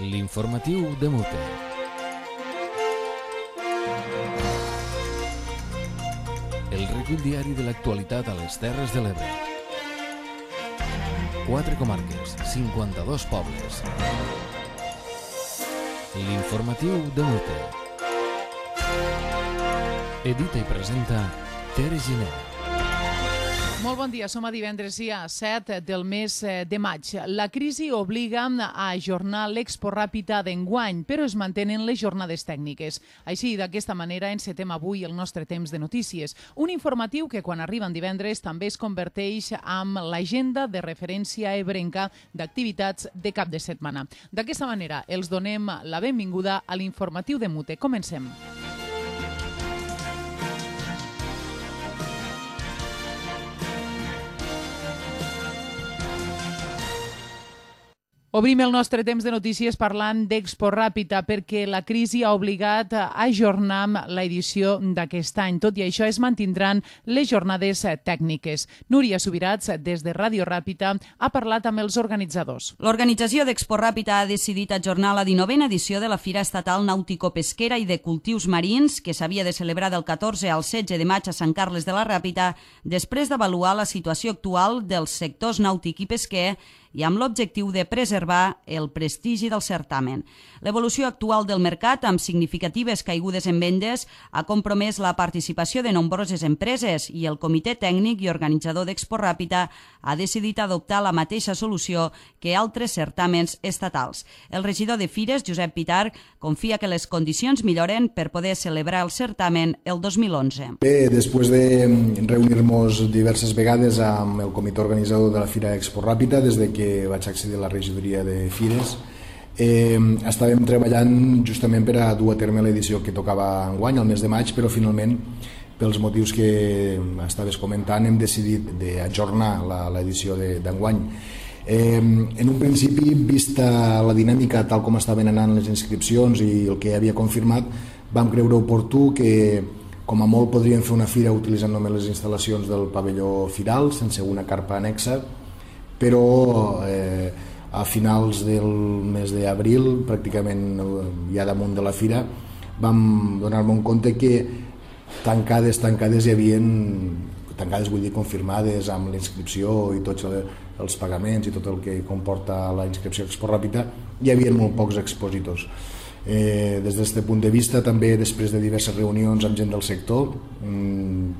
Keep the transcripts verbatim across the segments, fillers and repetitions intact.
L'informatiu de Mute. El recull diari de l'actualitat a les Terres de l'Ebre. Quatre comarques, cinquanta-dos pobles. L'informatiu de Mute. Edita i presenta Tere Giner. Molt bon dia, som a divendres dia set del mes de maig. La crisi obliga a ajornar l'Expo Ràpita d'enguany, però es mantenen les jornades tècniques. Així, d'aquesta manera, encetem avui el nostre temps de notícies. Un informatiu que, quan arriba en divendres, també es converteix en l'agenda de referència ebrenca d'activitats de cap de setmana. D'aquesta manera, els donem la benvinguda a l'informatiu de Mute. Comencem. Obrim el nostre temps de notícies parlant d'Expo Ràpita perquè la crisi ha obligat a ajornar l'edició d'aquest any. Tot i això, es mantindran les jornades tècniques. Núria Subirats, des de Ràdio Ràpita, ha parlat amb els organitzadors. L'organització d'Expo Ràpita ha decidit ajornar la dinovena edició de la Fira Estatal Nàutico-Pesquera i de Cultius Marins, que s'havia de celebrar del catorze al setze de maig a Sant Carles de la Ràpita, després d'avaluar la situació actual dels sectors nàutic i pesquer i amb l'objectiu de preservar el prestigi del certamen. L'evolució actual del mercat, amb significatives caigudes en vendes, ha compromès la participació de nombroses empreses i el comitè tècnic i organitzador d'Expo Ràpita ha decidit adoptar la mateixa solució que altres certàmens estatals. El regidor de Fires, Josep Pitar, confia que les condicions milloren per poder celebrar el certamen el dos mil onze. Bé, després de reunir-nos diverses vegades amb el comitè organitzador de la Fira Expo Ràpita, des de que que vaig accedir a la regidoria de Fires, eh, estàvem treballant justament per a dur a terme l'edició que tocava enguany, al mes de maig, però finalment, pels motius que estaves comentant, hem decidit d'ajornar l'edició d'enguany. Eh, en un principi, vista la dinàmica tal com estaven anant les inscripcions i el que havia confirmat, vam creure oportú que com a molt podríem fer una fira utilitzant només les instal·lacions del pavelló firal, sense una carpa anexa, però eh, a finals del mes d'abril, pràcticament ja damunt de la fira, vam donar-me en compte que tancades, tancades hi havia, tancades vull dir confirmades amb la inscripció i tots els pagaments i tot el que comporta la inscripció Expo Ràpita, hi havia molt pocs expositors. Eh, des d'aquest punt de vista, també després de diverses reunions amb gent del sector,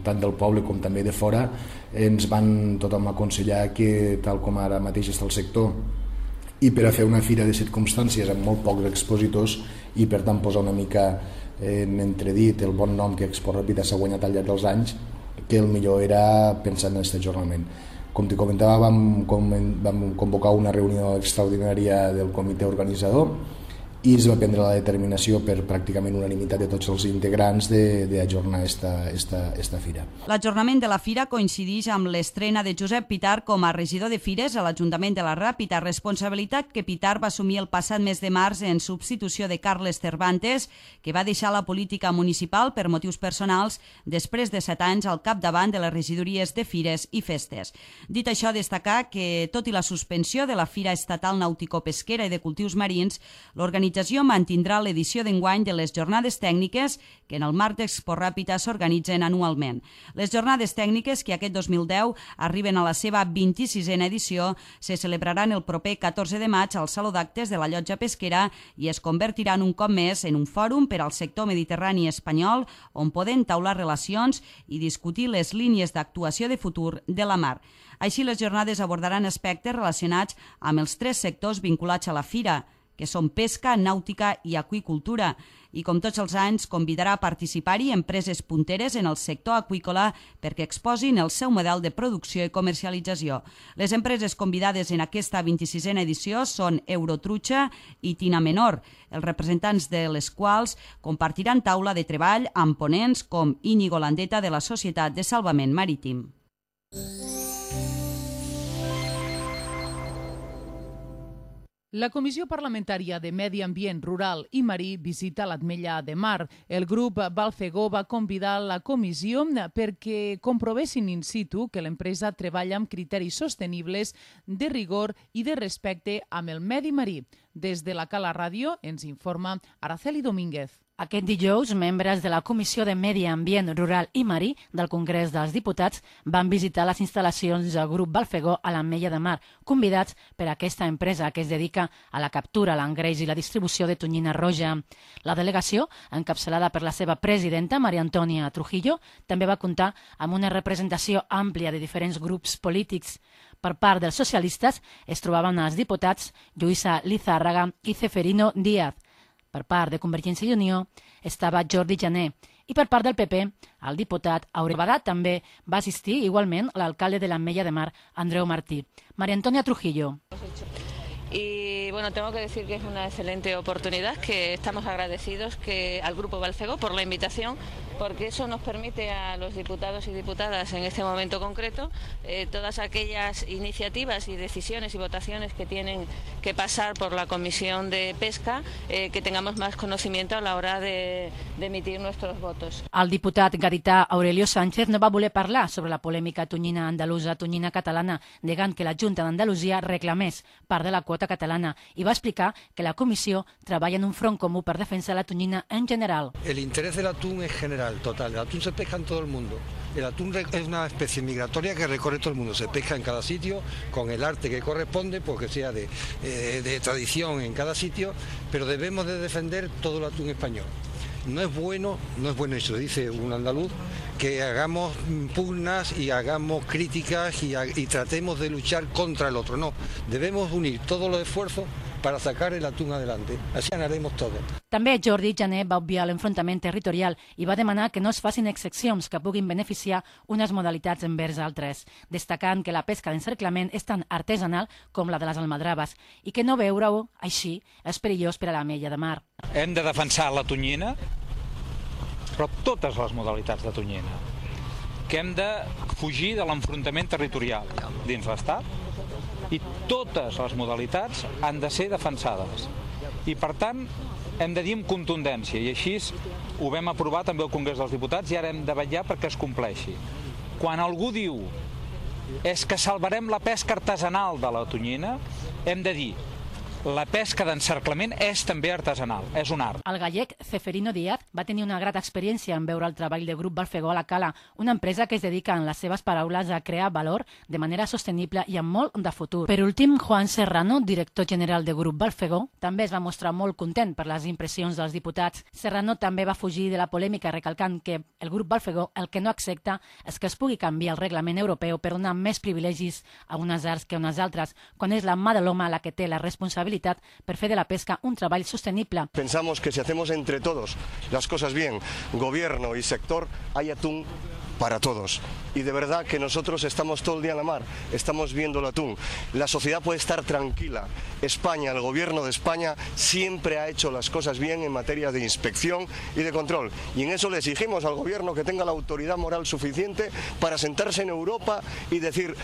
tant del poble com també de fora, ens van tothom aconsellar que, tal com ara mateix està el sector, i per a fer una fira de circumstàncies amb molt pocs expositors i per tant posar una mica en entredit el bon nom que Expo Ràpita s'ha guanyat al llarg dels anys, que el millor era pensar en aquest ajornament. Com t'hi comentava, vam, vam convocar una reunió extraordinària del comitè organitzador i es va prendre la determinació per pràcticament unanimitat de tots els integrants d'ajornar esta, esta, esta fira. L'ajornament de la fira coincideix amb l'estrena de Josep Pitar com a regidor de Fires a l'Ajuntament de la Ràpita, responsabilitat que Pitar va assumir el passat mes de març en substitució de Carles Cervantes, que va deixar la política municipal per motius personals després de set anys al capdavant de les regidories de Fires i Festes. Dit això, destacar que, tot i la suspensió de la Fira Estatal Nàutico-Pesquera i de Cultius Marins, l'organització L'organització mantindrà l'edició d'enguany de les jornades tècniques que en el marc d'Expo Ràpita s'organitzen anualment. Les jornades tècniques, que aquest dos mil deu arriben a la seva vint-i-sisena edició, se celebraran el proper catorze de maig al Saló d'Actes de la Llotja Pesquera i es convertiran un cop més en un fòrum per al sector mediterrani espanyol on poden taular relacions i discutir les línies d'actuació de futur de la mar. Així, les jornades abordaran aspectes relacionats amb els tres sectors vinculats a la fira, que són pesca, nàutica i aqüicultura, i com tots els anys convidarà a participar-hi empreses punteres en el sector aqüícola perquè exposin el seu model de producció i comercialització. Les empreses convidades en aquesta vint-i-sisena edició són Eurotrucha i Tina Menor, els representants de les quals compartiran taula de treball amb ponents com Íñigo Landeta de la Societat de Salvament Marítim. La Comissió Parlamentària de Medi Ambient Rural i Marí visita l'Ametlla de Mar. El grup Balfegó va convidar la comissió perquè comprovessin in situ que l'empresa treballa amb criteris sostenibles de rigor i de respecte amb el medi marí. Des de la Cala Ràdio ens informa Araceli Domínguez. Aquest dijous, membres de la Comissió de Medi Ambient Rural i Marí del Congrés dels Diputats van visitar les instal·lacions del grup Balfegó a l'Ametlla de Mar, convidats per aquesta empresa que es dedica a la captura, l'engreix i la distribució de tonyina roja. La delegació, encapçalada per la seva presidenta, Maria Antònia Trujillo, també va comptar amb una representació àmplia de diferents grups polítics. Per part dels socialistes es trobaven els diputats Lluïsa Lizárraga i Ceferino Díaz. Per part de Convergència i Unió estava Jordi Jané i per part del P P el diputat Aureli Badat. També va assistir igualment l'alcalde de l'Ametlla de Mar, Andreu Martí. María Antonia Trujillo. Y bueno, tengo que decir que es una excelente oportunidad, que estamos agradecidos que al Grupo Balfegó por la invitación, porque eso nos permite a los diputados y diputadas en este momento concreto eh, todas aquellas iniciativas y decisiones y votaciones que tienen que pasar por la Comisión de Pesca, eh, que tengamos más conocimiento a la hora de, de emitir nuestros votos. El diputat gadità Aurelio Sánchez no va voler parlar sobre la polèmica tonyina andalusa, tonyina catalana, negant que la Junta d'Andalusia reclamés part de la quota catalana i va explicar que la comissió treballa en un front comú per defensar la tonyina en general. El interés del atún es general, total. El atún se pesca en todo el mundo. El atún es una especie migratoria que recorre todo el mundo. Se pesca en cada sitio con el arte que corresponde, porque sea de, eh, de tradición en cada sitio, pero debemos de defender todo el atún español. No es bueno, no es bueno, eso dice un andaluz, que hagamos pugnas y hagamos críticas y, y tratemos de luchar contra el otro. No, debemos unir todos los esfuerzos para sacar el atún adelante. Así ganaremos todos. També Jordi Jané va obviar l'enfrontament territorial i va demanar que no es facin excepcions que puguin beneficiar unes modalitats envers altres, destacant que la pesca d'encerclament és tan artesanal com la de les almadraves i que no veure-ho així és perillós per a l'Ametlla de Mar. Hem de defensar la tonyina, però totes les modalitats de tonyina, que hem de fugir de l'enfrontament territorial dins l'Estat i totes les modalitats han de ser defensades. I per tant hem de dir amb contundència, i així ho vam aprovar també al Congrés dels Diputats i ara hem de vetllar perquè es compleixi. Quan algú diu és que salvarem la pesca artesanal de la tonyina, hem de dir la pesca d'encerclament és també artesanal, és un art. El gallec Ceferino Díaz va tenir una grata experiència en veure el treball del grup Balfegó a la Cala, una empresa que es dedica, en les seves paraules, a crear valor de manera sostenible i amb molt de futur. Per últim, Juan Serrano, director general del grup Balfegó, també es va mostrar molt content per les impressions dels diputats. Serrano també va fugir de la polèmica recalcant que el grup Balfegó el que no accepta és que es pugui canviar el reglament europeu per donar més privilegis a unes arts que a unes altres, quan és la mà de l'home la que té la responsabilitat per fer de la pesca un treball sostenible. Pensamos que si hacemos entre todos las cosas bien, gobierno y sector, hay atún para todos. Y de verdad que nosotros estamos todo el día en la mar, estamos viendo el atún. La sociedad puede estar tranquila. España, el gobierno de España, siempre ha hecho las cosas bien en materia de inspección y de control. Y en eso le exigimos al gobierno que tenga la autoridad moral suficiente para sentarse en Europa y decir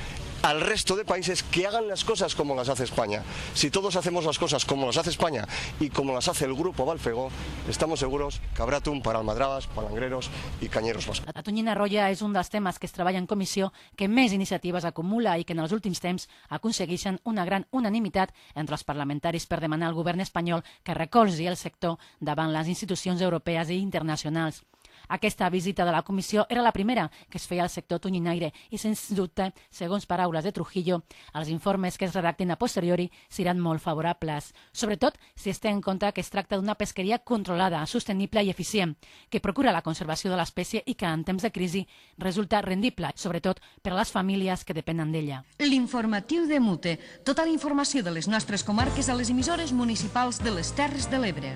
al resto de países que hagan las cosas como las hace España. Si todos hacemos las cosas como las hace España y como las hace el grupo Balfegó, estamos seguros que habrá atún para almadrabas, palangreros y cañeros vascos. La tonyina roja és un dels temes que es treballa en comissió, que més iniciatives acumula i que en els últims temps aconsegueixen una gran unanimitat entre els parlamentaris per demanar al govern espanyol que recolzi el sector davant les institucions europees i internacionals. Aquesta visita de la comissió era la primera que es feia al sector tonyinaire i, sens dubte, segons paraules de Trujillo, els informes que es redacten a posteriori seran molt favorables, sobretot si es té en compte que es tracta d'una pesqueria controlada, sostenible i eficient, que procura la conservació de l'espècie i que en temps de crisi resulta rendible, sobretot per a les famílies que depenen d'ella. L'informatiu de Mute, tota la informació de les nostres comarques a les emissores municipals de les Terres de l'Ebre.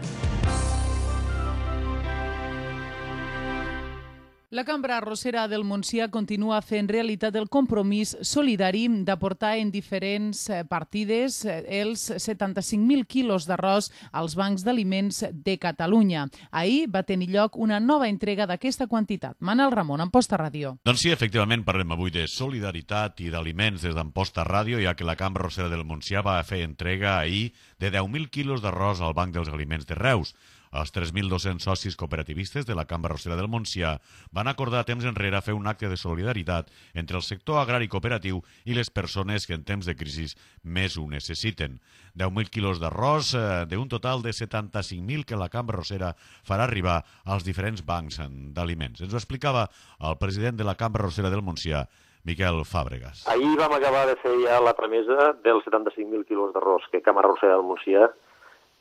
La Cambra Arrossera del Montsià continua fent realitat el compromís solidari d'aportar en diferents partides els setanta-cinc mil quilos d'arròs als bancs d'aliments de Catalunya. Ahir va tenir lloc una nova entrega d'aquesta quantitat. Manel Ramon, Amposta Ràdio. Doncs sí, efectivament, parlem avui de solidaritat i d'aliments des d'Amposta Ràdio, ja que la Cambra Arrossera del Montsià va fer entrega ahir de deu mil quilos d'arròs al Banc dels Aliments de Reus. Els tres mil dos-cents socis cooperativistes de la Cambra Arrossera del Montsià van acordar temps enrere fer un acte de solidaritat entre el sector agrari cooperatiu i les persones que en temps de crisi més ho necessiten. deu mil quilos d'arròs eh, d'un total de setanta-cinc mil que la Cambra Arrossera farà arribar als diferents bancs d'aliments. Ens ho explicava el president de la Cambra Arrossera del Montsià, Miquel Fàbregas. Ahir vam acabar de fer ja la tramesa dels setanta-cinc mil quilos d'arròs que Cambra Arrossera del Montsià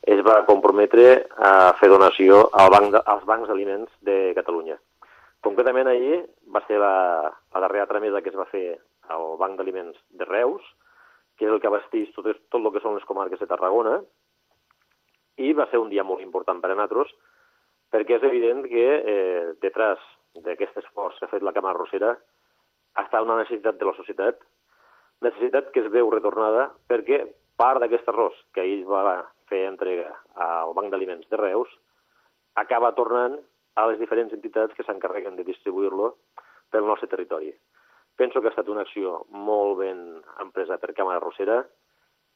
es va comprometre a fer donació al banc de, als bancs d'aliments de Catalunya. Concretament ahir va ser la, la darrera tramesa que es va fer al Banc d'Aliments de Reus, que és el que abasteix tot, tot el que són les comarques de Tarragona, i va ser un dia molt important per a nosaltres, perquè és evident que eh, detrás d'aquest esforç que ha fet la Cambra Arrossera està una necessitat de la societat, necessitat que es veu retornada perquè part d'aquest arròs que ahir va fer entrega al Banc d'Aliments de Reus acaba tornant a les diferents entitats que s'encarreguen de distribuir-lo pel nostre territori. Penso que ha estat una acció molt ben empresa per Cambra Arrossera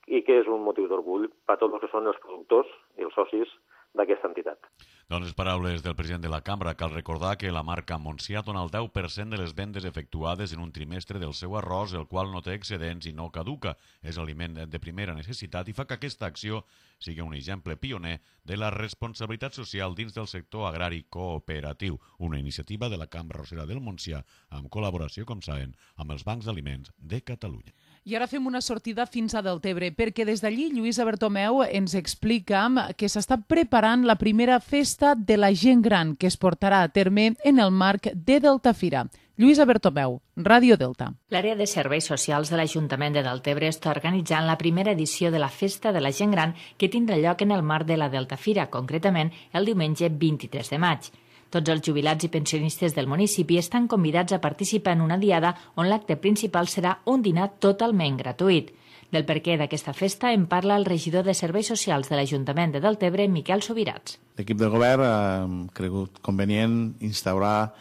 i que és un motiu d'orgull per a tots els que són els productors i els socis d'aquesta entitat. Doncs les paraules del president de la Cambra. Cal recordar que la marca Montsià dona el deu per cent de les vendes efectuades en un trimestre del seu arròs, el qual no té excedents i no caduca. És aliment de primera necessitat i fa que aquesta acció sigui un exemple pioner de la responsabilitat social dins del sector agrari cooperatiu, una iniciativa de la Cambra Arrossera del Montsià en col·laboració, com saben, amb els bancs d'aliments de Catalunya. I ara fem una sortida fins a Deltebre, perquè des d'allí Lluïsa Bertomeu ens explica que s'està preparant la primera festa de la gent gran que es portarà a terme en el marc de Deltafira. Lluïsa Bertomeu, Ràdio Delta. L'àrea de serveis socials de l'Ajuntament de Deltebre està organitzant la primera edició de la Festa de la Gent Gran que tindrà lloc en el marc de la Deltafira, concretament el diumenge vint-i-tres de maig. Tots els jubilats i pensionistes del municipi estan convidats a participar en una diada on l'acte principal serà un dinar totalment gratuït. Del perquè d'aquesta festa en parla el regidor de Serveis Socials de l'Ajuntament de Deltebre, Miquel Subirats. L'equip del govern ha cregut convenient instaurar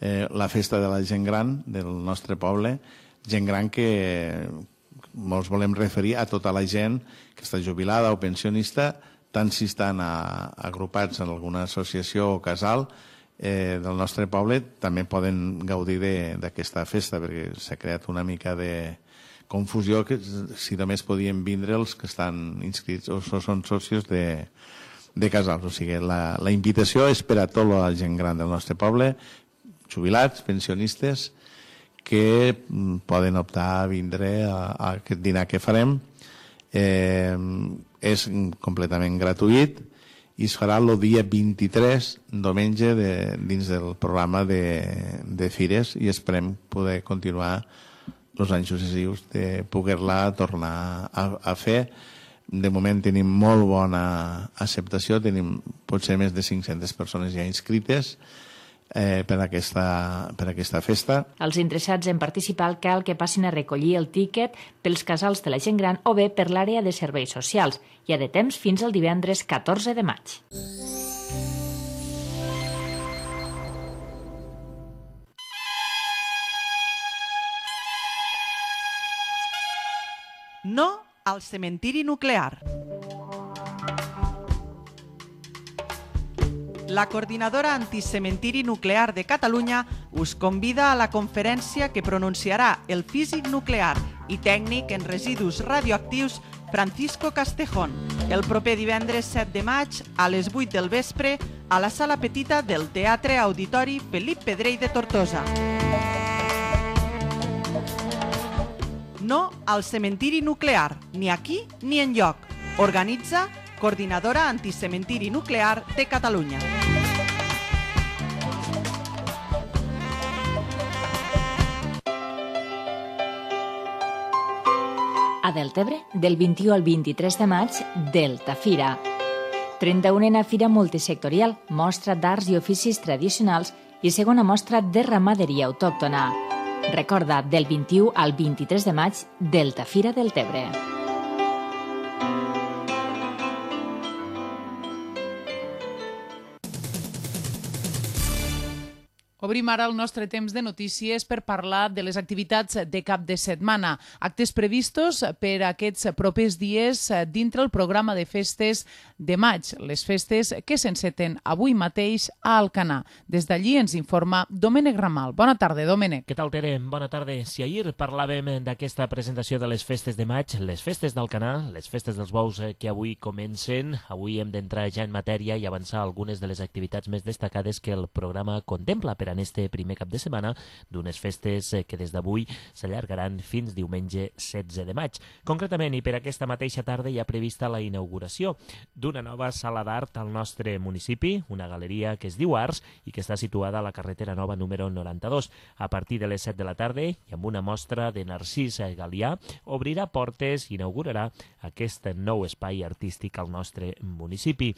eh, la festa de la gent gran del nostre poble, gent gran que molts volem referir a tota la gent que està jubilada o pensionista, tant si estan a, agrupats en alguna associació o casal eh, del nostre poble, també poden gaudir d'aquesta festa, perquè s'ha creat una mica de confusió que si només podien vindre els que estan inscrits o són socis de, de casals. O sigui, la, la invitació és per a tota la gent gran del nostre poble, jubilats, pensionistes, que poden optar a vindre a, a aquest dinar que farem. Eh, és completament gratuït i es farà el dia vint-i-tres, diumenge, de, dins del programa de, de fires, i esperem poder continuar els anys successius de poder-la tornar a, a fer. De moment tenim molt bona acceptació, tenim potser més de cinc-centes persones ja inscrites eh, per, aquesta, per aquesta festa. Els interessats en participar cal que passin a recollir el tíquet pels casals de la gent gran o bé per l'àrea de serveis socials. Hi ha de temps fins al divendres catorze de maig. No al cementiri nuclear. La Coordinadora Anticementiri Nuclear de Catalunya us convida a la conferència que pronunciarà el físic nuclear i tècnic en residus radioactius Francisco Castejón el proper divendres set de maig a les vuit del vespre a la sala petita del Teatre Auditori Felip Pedrell de Tortosa. No al cementiri nuclear, ni aquí ni enlloc. Organitza Coordinadora Anticementiri Nuclear de Catalunya. A Deltebre, del vint-i-u al vint-i-tres de maig, Deltafira. trenta-unena Fira Multisectorial, mostra d'arts i oficis tradicionals i segona mostra de ramaderia autòctona. Recorda, del vint-i-u al vint-i-tres de maig, Delta Fira del Tebre. Obrim ara el nostre temps de notícies per parlar de les activitats de cap de setmana. Actes previstos per aquests propers dies dintre el programa de festes de maig, les festes que s'enceten avui mateix a Alcanar. Des d'allí ens informa Domènec Ramal. Bona tarda, Domènec. Què tal, Tere? Bona tarda. Si ahir parlàvem d'aquesta presentació de les festes de maig, les festes d'Alcanar, les festes dels bous que avui comencen, avui hem d'entrar ja en matèria i avançar algunes de les activitats més destacades que el programa contempla per en este primer cap de setmana d'unes festes que des d'avui s'allargaran fins diumenge setze de maig. Concretament, i per aquesta mateixa tarda hi ha prevista la inauguració d'una nova sala d'art al nostre municipi, una galeria que es diu Arts i que està situada a la carretera nova número noranta-dos. A partir de les set de la tarda i amb una mostra de Narcís Galià obrirà portes i inaugurarà aquest nou espai artístic al nostre municipi.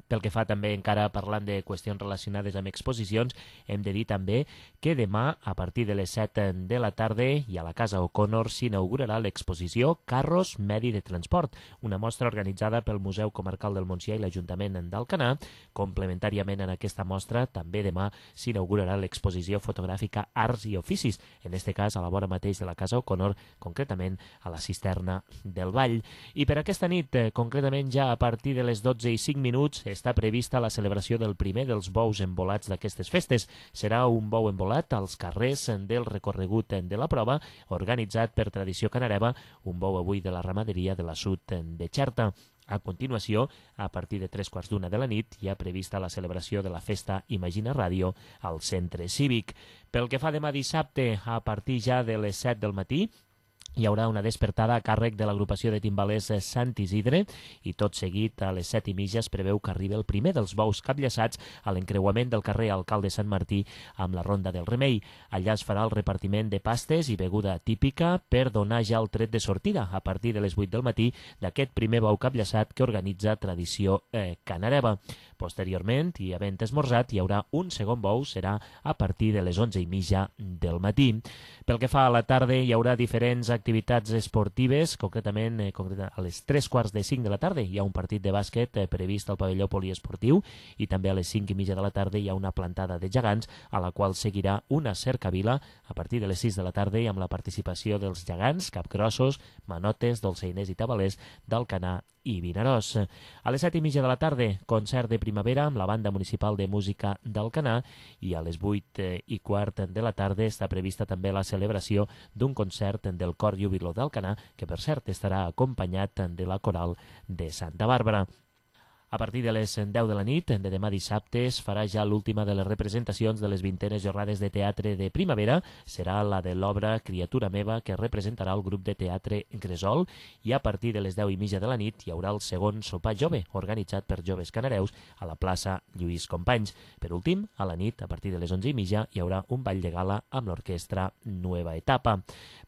Pel que fa també encara parlant de qüestions relacionades amb exposicions, hem de dir també que demà, a partir de les set de la tarda, i a la Casa O'Connor s'inaugurarà l'exposició Carros Medi de Transport, una mostra organitzada pel Museu Comarcal del Montsià i l'Ajuntament d'Alcanar. Complementàriament en aquesta mostra, també demà s'inaugurarà l'exposició fotogràfica Arts i Oficis, en este cas a la vora mateix de la Casa O'Connor, concretament a la Cisterna del Vall. I per aquesta nit, concretament ja a partir de les dotze i cinc minuts, està prevista la celebració del primer dels bous embolats d'aquestes festes. Serà un bou embolat als carrers del recorregut de la prova, organitzat per Tradició Canareva, un bou avui de la ramaderia de la Sud de Xerta. A continuació, a partir de tres quarts d'una de la nit, hi ha prevista la celebració de la festa Imagina Ràdio al Centre Cívic. Pel que fa demà dissabte, a partir ja de les set del matí, hi haurà una despertada a càrrec de l'agrupació de timbalers Sant Isidre i tot seguit a les set i mitja es preveu que arribi el primer dels bous capllaçats a l'encreuament del carrer Alcalde Sant Martí amb la Ronda del Remei. Allà es farà el repartiment de pastes i beguda típica per donar ja el tret de sortida a partir de les vuit del matí d'aquest primer bou capllaçat que organitza Tradició eh, Canareva. Posteriorment, i havent esmorzat, hi haurà un segon bou, serà a partir de les onze i mitja del matí. Pel que fa a la tarda, hi haurà diferents activitats esportives, concretament eh, a les tres quarts de cinc de la tarda hi ha un partit de bàsquet eh, previst al pavelló poliesportiu i també a les cinc i mitja de la tarda hi ha una plantada de gegants a la qual seguirà una cercavila a partir de les sis de la tarda i amb la participació dels gegants, capgrossos, manotes, dolçainers i tabalers d'Alcanar i Vinaròs. A les set i mitja de la tarda, concert de primavera amb la Banda Municipal de Música d'Alcanar i a les vuit i quart de la tarda està prevista també la celebració d'un concert del Cor Júbilo d'Alcanar, que per cert estarà acompanyat de la Coral de Santa Bàrbara. A partir de les deu de la nit de demà dissabte es farà ja l'última de les representacions de les vintenes jornades de teatre de primavera. Serà la de l'obra Criatura meva, que representarà el grup de teatre Gresol, i a partir de les deu i mitja de la nit hi haurà el segon sopar jove, organitzat per joves canareus a la plaça Lluís Companys. Per últim, a la nit, a partir de les onze i mitja, hi haurà un ball de gala amb l'orquestra Nueva Etapa.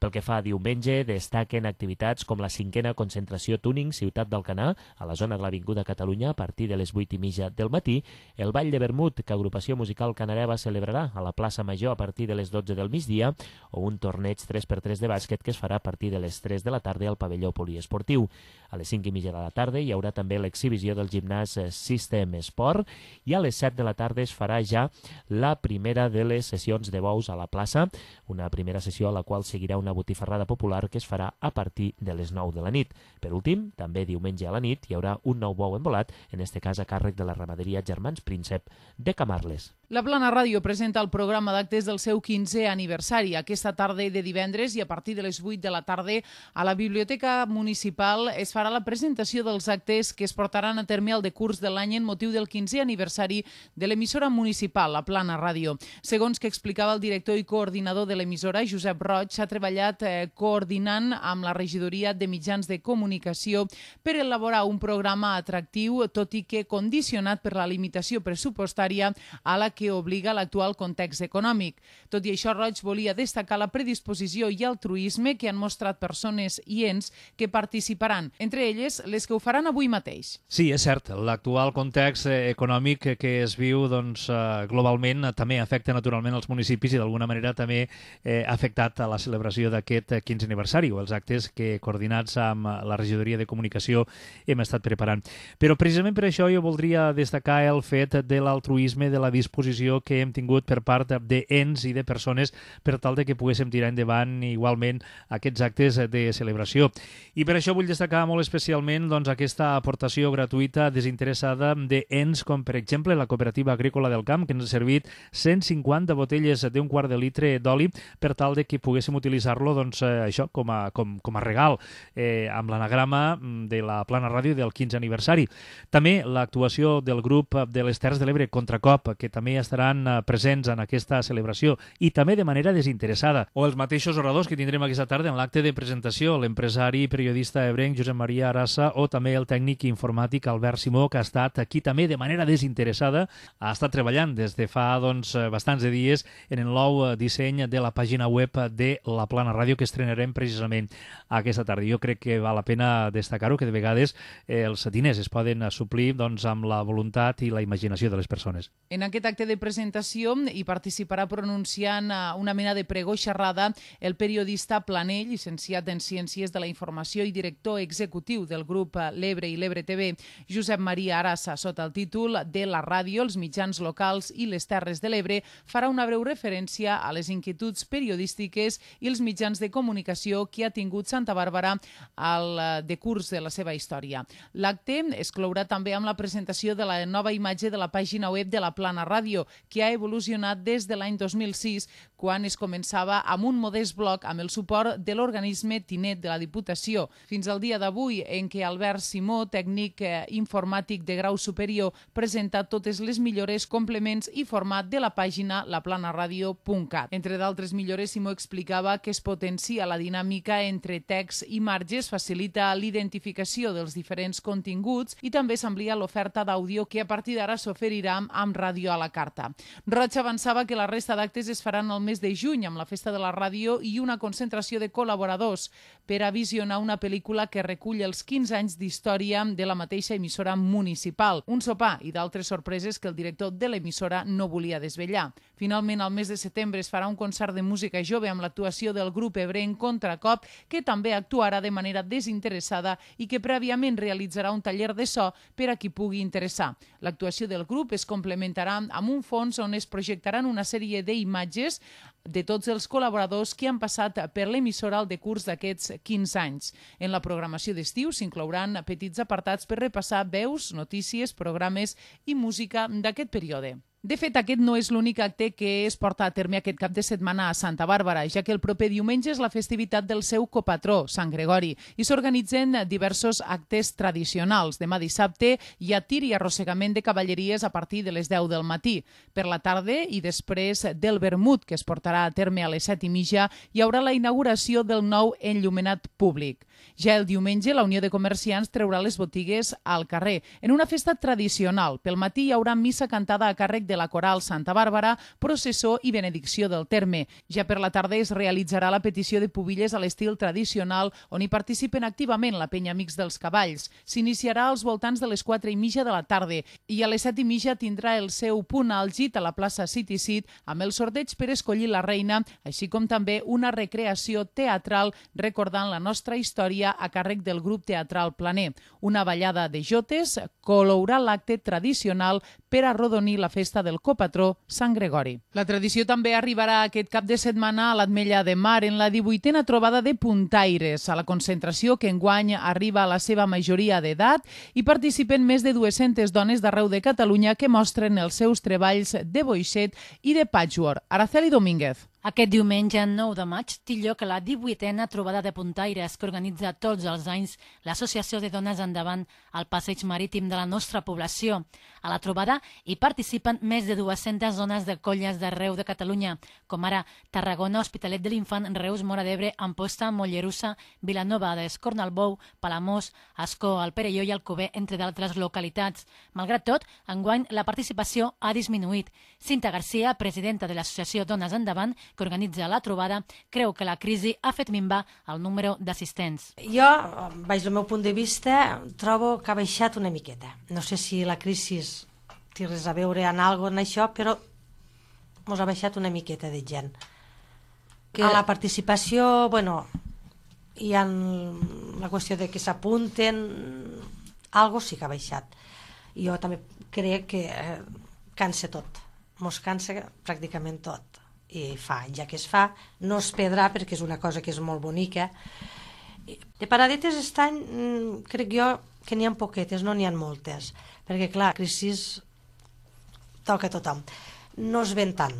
Pel que fa a diumenge, destaquen activitats com la cinquena concentració Tuning Ciutat d'Alcanar, a la zona de l'Avinguda Catalunya, a partir de les vuit i mitja del matí, el Ball de Vermut, que Agrupació Musical Canareva celebrarà a la plaça Major a partir de les dotze del migdia, o un torneig tres per tres de bàsquet que es farà a partir de les tres de la tarda al pavelló poliesportiu. A les cinc i mitja de la tarda hi haurà també l'exhibició del gimnàs System Sport i a les set de la tarda es farà ja la primera de les sessions de bous a la plaça, una primera sessió a la qual seguirà una botifarrada popular que es farà a partir de les nou de la nit. Per últim, també diumenge a la nit hi haurà un nou bou embolat, en este cas a càrrec de la ramaderia Germans Príncep de Camarles. La Plana Ràdio presenta el programa d'actes del seu quinzè aniversari aquesta tarda de divendres i a partir de les vuit de la tarda a la Biblioteca Municipal es farà la presentació dels actes que es portaran a terme al decurs de l'any en motiu del quinzè aniversari de l'emissora municipal, la Plana Ràdio. Segons que explicava el director i coordinador de l'emissora, Josep Roig, s'ha treballat eh, coordinant amb la regidoria de mitjans de comunicació per elaborar un programa atractiu, tot i que condicionat per la limitació pressupostària a la que que obliga l'actual context econòmic. Tot i això, Roig volia destacar la predisposició i altruisme que han mostrat persones i ens que participaran, entre elles les que ho faran avui mateix. Sí, és cert, l'actual context econòmic que es viu doncs, globalment també afecta naturalment els municipis i d'alguna manera també eh, ha afectat a la celebració d'aquest quinze aniversari o els actes que, coordinats amb la Regidoria de Comunicació, hem estat preparant. Però precisament per això jo voldria destacar el fet de l'altruisme, de la disposició que hem tingut per part d'ens i de persones per tal de que poguéssim tirar endavant igualment aquests actes de celebració. I per això vull destacar molt especialment doncs, aquesta aportació gratuïta desinteressada d'ens com per exemple la Cooperativa Agrícola del Camp, que ens ha servit cent cinquanta botelles d'un quart de litre d'oli per tal de que poguéssim utilitzar-lo doncs, eh, això com a, com, com a regal eh, amb l'anagrama de la Plana Ràdio del quinze aniversari. També l'actuació del grup de les Terres de l'Ebre Contracop, que també estaran presents en aquesta celebració i també de manera desinteressada. O els mateixos oradors que tindrem aquesta tarda en l'acte de presentació, l'empresari i periodista ebrenc Josep Maria Arassa o també el tècnic informàtic Albert Simó, que ha estat aquí també de manera desinteressada, ha estat treballant des de fa doncs, bastants de dies en el nou disseny de la pàgina web de la Plana Ràdio que estrenarem precisament aquesta tarda. Jo crec que val la pena destacar-ho, que de vegades eh, els diners es poden suplir doncs, amb la voluntat i la imaginació de les persones. En aquest acte de presentació hi participarà pronunciant una mena de pregó xerrada el periodista Planell, llicenciat en Ciències de la Informació i director executiu del grup L'Ebre i l'Ebre T V, Josep Maria Arassa, sota el títol de la ràdio, els mitjans locals i les Terres de l'Ebre, farà una breu referència a les inquietuds periodístiques i els mitjans de comunicació que ha tingut Santa Bàrbara al decurs de la seva història. L'acte es clourà també amb la presentació de la nova imatge de la pàgina web de la Plana Ràdio, que ha evolucionat des de l'any dos mil sis, quan es començava amb un modest blog amb el suport de l'organisme Tinet de la Diputació, fins al dia d'avui en què Albert Simó, tècnic eh, informàtic de grau superior, presenta totes les millores, complements i format de la pàgina laplanaradio punt cat. Entre d'altres millores, Simó explicava que es potencia la dinàmica entre text i marges, facilita l'identificació dels diferents continguts i també s'amplia l'oferta d'àudio que a partir d'ara s'oferirà amb ràdio a la carta. Roig avançava que la resta d'actes es faran el mes de juny amb la Festa de la Ràdio i una concentració de col·laboradors per a visionar una pel·lícula que recull els quinze anys d'història de la mateixa emissora municipal, un sopar i d'altres sorpreses que el director de l'emissora no volia desvetllar. Finalment, al mes de setembre es farà un concert de música jove amb l'actuació del grup ebrenc Contracop, que també actuarà de manera desinteressada i que prèviament realitzarà un taller de so per a qui pugui interessar. L'actuació del grup es complementarà amb un fons on es projectaran una sèrie d'imatges de tots els col·laboradors que han passat per l'emissora al decurs d'aquests quinze anys. En la programació d'estiu s'inclouran petits apartats per repassar veus, notícies, programes i música d'aquest període. De fet, aquest no és l'únic acte que es porta a terme aquest cap de setmana a Santa Bàrbara, ja que el proper diumenge és la festivitat del seu copatró, Sant Gregori, i s'organitzen diversos actes tradicionals. Demà dissabte hi ha tir i arrossegament de cavalleries a partir de les deu del matí. Per la tarda i després del vermut, que es portarà a terme a les set i mitja, hi haurà la inauguració del nou enllumenat públic. Ja el diumenge, la Unió de Comerciants treurà les botigues al carrer. En una festa tradicional, pel matí hi haurà missa cantada a càrrec de la Coral Santa Bàrbara, processó i benedicció del terme. Ja per la tarda es realitzarà la petició de pubilles a l'estil tradicional, on hi participen activament la penya Amics dels Cavalls. S'iniciarà als voltants de les quatre i mitja de la tarda i a les set i mitja tindrà el seu punt àlgid a la plaça City Seat amb el sorteig per escollir la reina, així com també una recreació teatral recordant la nostra història a càrrec del grup teatral Planer. Una ballada de jotes colourà l'acte tradicional per arrodonir la festa del copatró Sant Gregori. La tradició també arribarà aquest cap de setmana a l'Ametlla de Mar en la divuitena trobada de puntaires. A la concentració, que enguany arriba a la seva majoria d'edat, hi participen més de dues-centes dones d'arreu de Catalunya que mostren els seus treballs de boixet i de patchwork. Araceli Domínguez. Aquest diumenge nou de maig té lloc la divuitena trobada de puntaires que organitza tots els anys l'Associació de Dones Endavant al passeig marítim de la nostra població. A la trobada hi participen més de dues-centes zones de colles d'arreu de Catalunya, com ara Tarragona, Hospitalet de l'Infant, Reus, Móra d'Ebre, Amposta, Mollerussa, Vilanova d'Escornalbou, Palamós, Ascó, el Perelló i Alcover, entre d'altres localitats. Malgrat tot, enguany la participació ha disminuït. Cinta Garcia, presidenta de l'Associació Dones Endavant, que organitza la trobada, creu que la crisi ha fet minvar el número d'assistents. Jo, baix del meu punt de vista, trobo que ha baixat una miqueta. No sé si la crisi té res a veure en alguna cosa en això, però ens ha baixat una miqueta de gent. Que... A la participació, bueno, hi ha la qüestió de que s'apunten, algo sí que ha baixat. Jo també crec que eh, cansa tot, mos cansa pràcticament tot. I fa, ja que es fa, no es perdrà perquè és una cosa que és molt bonica. De paradetes aquest any crec jo que n'hi ha poquetes, no n'hi ha moltes, perquè clar, la crisi toca a tothom. No es ven tant,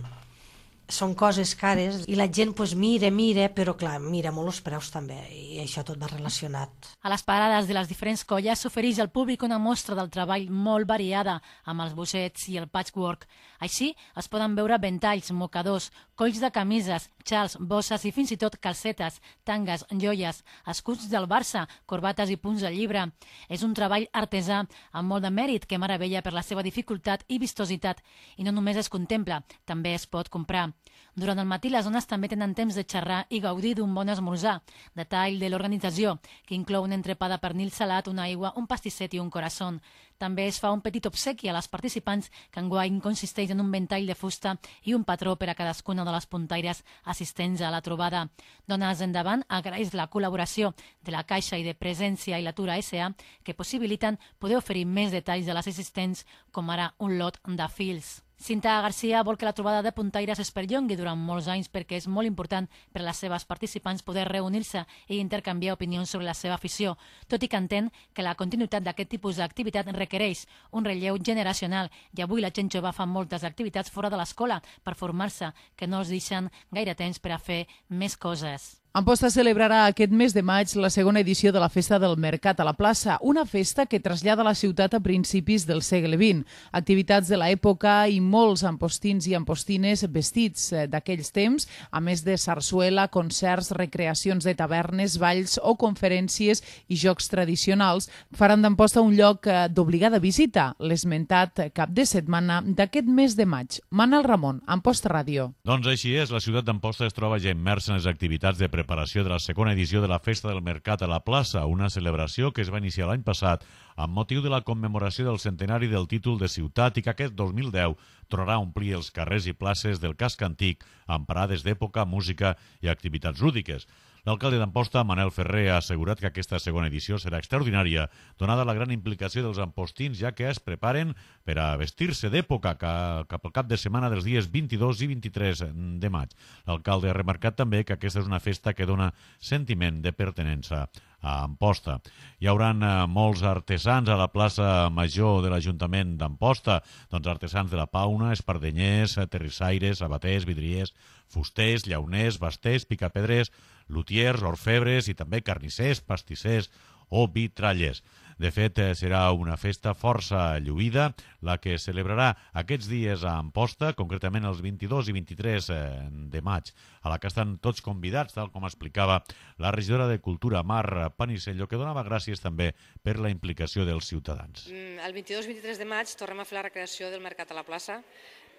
són coses cares i la gent pues, mira, mira, però clar, mira molt els preus també i això tot va relacionat. A les parades de les diferents colles s'ofereix al públic una mostra del treball molt variada amb els bossets i el patchwork. Així es poden veure ventalls, mocadors, colls de camises, xals, bosses i fins i tot calcetes, tangues, joies, escuts del Barça, corbates i punts de llibre. És un treball artesà amb molt de mèrit que meravella per la seva dificultat i vistositat i no només es contempla, també es pot comprar. Durant el matí les dones també tenen temps de xerrar i gaudir d'un bon esmorzar. Detall de l'organització, que inclou un entrepà de pernil salat, una aigua, un pastisset i un corazón. També es fa un petit obsequi a les participants que enguany consisteix en un ventall de fusta i un patró per a cadascuna de les puntaires assistents a la trobada. Dones Endavant agraeix la col·laboració de la Caixa i de Presència i l'Atura S A que possibiliten poder oferir més detalls de les assistents, com ara un lot de fils. Cinta Garcia vol que la trobada de puntaires es perllongui durant molts anys perquè és molt important per a les seves participants poder reunir-se i intercanviar opinions sobre la seva afició, tot i que entén que la continuïtat d'aquest tipus d'activitat requereix un relleu generacional i avui la gent jove fa moltes activitats fora de l'escola per formar-se que no els deixen gaire temps per a fer més coses. Amposta celebrarà aquest mes de maig la segona edició de la Festa del Mercat a la plaça, una festa que trasllada la ciutat a principis del segle vint. Activitats de l'època i molts ampostins i ampostines vestits d'aquells temps, a més de sarsuela, concerts, recreacions de tavernes, balls o conferències i jocs tradicionals, faran d'Amposta un lloc d'obligada visita, l'esmentat cap de setmana d'aquest mes de maig. Manel Ramon, Amposta Ràdio. Doncs així és, la ciutat d'Amposta es troba ja immersa en les activitats de preparació de la segona edició de la Festa del Mercat a la plaça, una celebració que es va iniciar l'any passat amb motiu de la commemoració del centenari del títol de ciutat i que aquest dos mil deu tornarà a omplir els carrers i places del casc antic amb parades d'època, música i activitats lúdiques. L'alcalde d'Amposta, Manel Ferrer, ha assegurat que aquesta segona edició serà extraordinària, donada la gran implicació dels ampostins, ja que es preparen per a vestir-se d'època cap al cap de setmana dels dies vint-i-dos i vint-i-tres de maig. L'alcalde ha remarcat també que aquesta és una festa que dona sentiment de pertinença a Amposta. Hi haurà molts artesans a la plaça Major de l'Ajuntament d'Amposta, doncs artesans de la Pauna, espardenyers, terrissaires, abaters, vidriers, fusters, llauners, basters, picapedrers, lutiers, orfebres i també carnissers, pastissers o vitrallers. De fet, serà una festa força lluïda, la que es celebrarà aquests dies a Amposta, concretament els vint-i-dos i vint-i-tres de maig, a la que estan tots convidats, tal com explicava la regidora de Cultura, Mar Panisello, que donava gràcies també per la implicació dels ciutadans. El vint-i-dos i vint-i-tres de maig tornem a fer la recreació del Mercat a la plaça.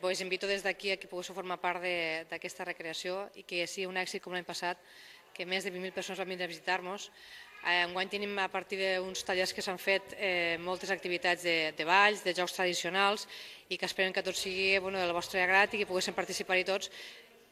Us invito des d'aquí a que poguéssiu formar part d'aquesta recreació i que sigui un èxit com l'any passat, que més de vint mil persones van vindre a visitar-nos. Enguany tenim, a partir d'uns tallers que s'han fet, moltes activitats de balls, de jocs tradicionals, i que esperem que tot sigui del vostre agrat i que poguéssim participar-hi tots,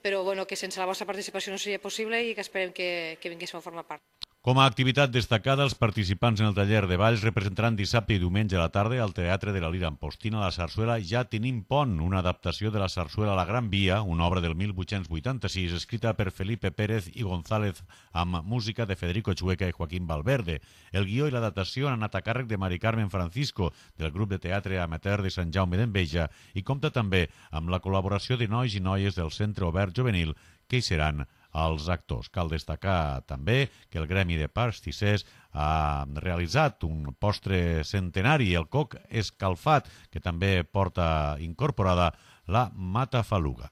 però que sense la vostra participació no seria possible i que esperem que vinguéssiu a formar part. Com a activitat destacada, els participants en el taller de balls representaran dissabte i diumenge a la tarda al Teatre de la Lira Ampostina la sarsuela Ja tenim pont, una adaptació de la sarsuela La Gran Via, una obra del mil vuit-cents vuitanta-sis, escrita per Felipe Pérez i González amb música de Federico Chueca i Joaquín Valverde. El guió i l'adaptació han anat a càrrec de Mari Carmen Francisco, del grup de teatre amateur de Sant Jaume d'Enveja, i compta també amb la col·laboració de nois i noies del Centre Obert Juvenil, que hi seran els actors. Cal destacar també que el Gremi de Pastissers ha realitzat un postre centenari, el coc escalfat, que també porta incorporada la matafaluga.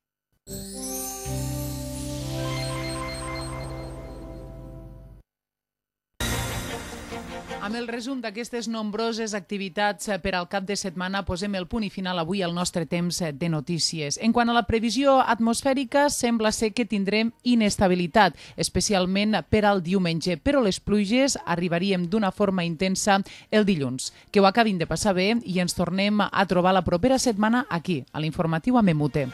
Amb el resum d'aquestes nombroses activitats per al cap de setmana posem el punt i final avui al nostre temps de notícies. En quant a la previsió atmosfèrica, sembla ser que tindrem inestabilitat, especialment per al diumenge, però les pluges arribaríem d'una forma intensa el dilluns. Que ho acabin de passar bé i ens tornem a trobar la propera setmana aquí, a l'informatiu a Memute.